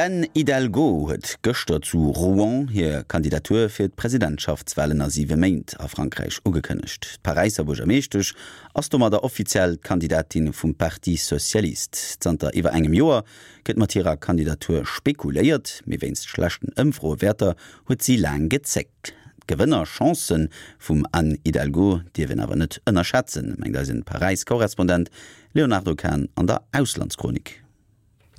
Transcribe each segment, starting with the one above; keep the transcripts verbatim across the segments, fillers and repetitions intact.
D'Anne Hidalgo huet gëschter zu Rouen hir Kandidatur fir d'Presidentschaftswalen a siwe Méint a Frankräich ugekënnegt. D'Paräisser Buergermeeschtesch ass domadder offiziell Kandidatin vum Parti Socialiste. Zanter iwwer engem Joer gëtt mat hirer Kandidatur spekuléiert, mee wéinst schlechten Ëmfroewäerter huet si laang gezéckt. D'Gewënnerchancë vum Anne Hidalgo dierf een awer net ënnerschätzen, mengt eisen Paräis-Korrespondent Léonardo Kahn an der Auslandschronik.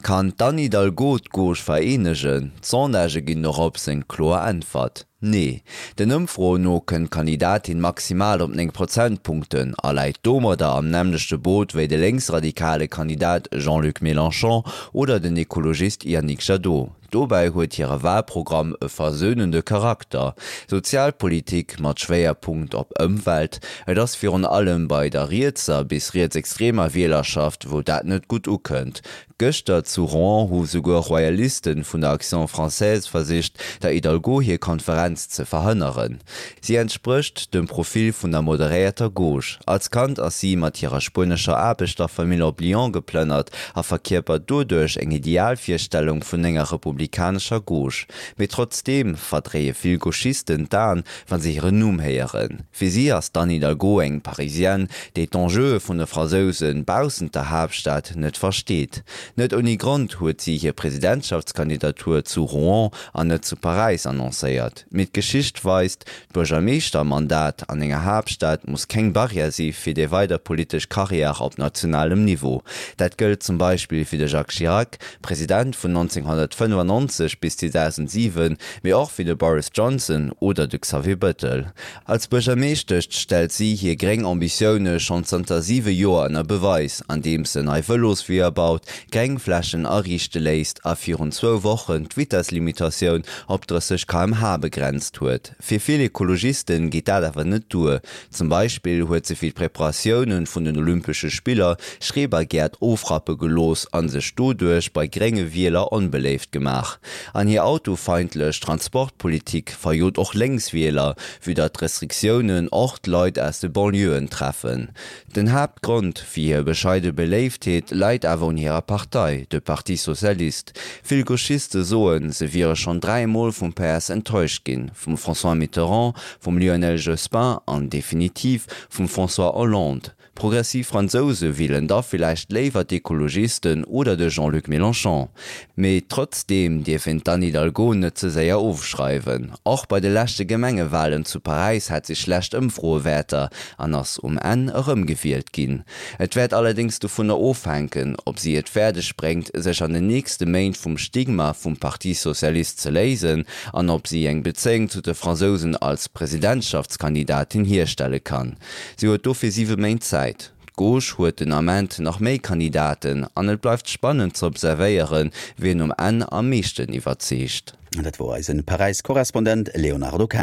Kann d'Anne Hidalgo d'Gauche vereenegen? D'Sondagë ginn dorop eng kloer Äntwert. Nee. Den Ëmfroen no kënnt d'Kandidatin maximal op néng Prozentpunkten a läit domadder am nämmlechte Boot wéi de lénksradikale Kandidat Jean-Luc Mélenchon oder den Ekologist Yannick Jadot. Dobäi huet hire Walprogramm e versönende Charakter. Sozialpolitik mat Schwéierpunkt op Ëmwelt, et ass virun allem bei der rietser bis rietsextremer Wielerschaft, wou dat net gutt ukënnt. Gëschter zu Rouen hu souguer Royalisten vun der Action Française versicht, der Hidalgo hir Konferenz ze verhënneren. Si entsprécht dem Profil vun der moderéierter Gauche. Als Kand ass si mat hirer spuenescher Aarbechterfamill op Lyon geplënnert a verkierpert doduerch eng Idealvirstellung vun enger republikanescher Gauche. Mee trotzdeem verdréie vill Gauchisten d'Aen, wann se hiren Numm héieren. Fir si ass d'Anne Hidalgo eng Parisienne, déi d'Enjeue vun de Fransouse baussent der Haaptstad net versteet. Net ouni Grond huet si hir Presidentschaftskandidatur zu Rouen an net zu Paräis annoncéiert. Mee d'Geschicht weist, d'Buergermeeschtermandat an enger Haaptstad muss keng Barrière si fir déi weider politesch Karriär op nationalem Niveau. Dat gëllt zum Beispill fir de Jacques Chirac, President vun nënzénghonnertfënnefannonzeg bis zweedausendsiwen, mee och fir de Boris Johnson oder de Xavier Bettel. Als Buergermeeschtesch stellt si hir gréng Ambitioune schonn zanter siwe Joer ënner Beweis, andeems se nei Vëlosweeër baut, Gréngflächen ariichte léisst a virun zwou Wochen d'Vitesslimitatioun op drësseg K M H begrenzt huet. Fir vill Ekologisten geet dat awer net duer. Zum Beispill huet se fir d'Preparatioune vun den Olympesche Spiller Schrebergäert ofrappe gelooss a sech doduerch bei grénge Wieler onbeléift gemaach. An hir autofeindlech Transportpolitik verjot och Lénkswieler, vue datt d'Restriktiounen och d'Leit aus de Banlieuen treffen. Den Haaptgrond fir hir bescheide Beléiftheet läit awer un hirer Partei, de Parti Socialiste. Vill Gauchiste soen, se wiere schonn dräimol vum P S enttäuscht ginn, vum François Mitterrand, vum Lionel Jospin an definitiv vum François Hollande. Progressiv Fransouse wielen da villäicht léiwer d'Ekologisten oder de Jean-Luc Mélenchon. Mee trotzdeem dierf een d'Anne Hidalgo net ze séier ofschreiwen. Och bei de leschte Gemengewalen zu Paräis hat si schlecht Ëmfroewäerter an ass um Enn erëmgewielt ginn. Et wäert allerdéngs dovunner ofhänken, ob si et fäerdeg bréngt, sech an den nächste Méint vum Stigma vum Parti Socialiste ze léisen an ob si eng Bezéiung zu de Fransousen als Presidentschaftskandidatin hierstelle kann. Si huet dofir siwe Méint Zäit. D'Gauche huet den Ament nach méi Kandidaten an et bleift spannend ze observéieren, wien um Enn am meeschten iwwerzeegt. Dat wor eisen Paräis-Korrespondent Léonardo Kahn.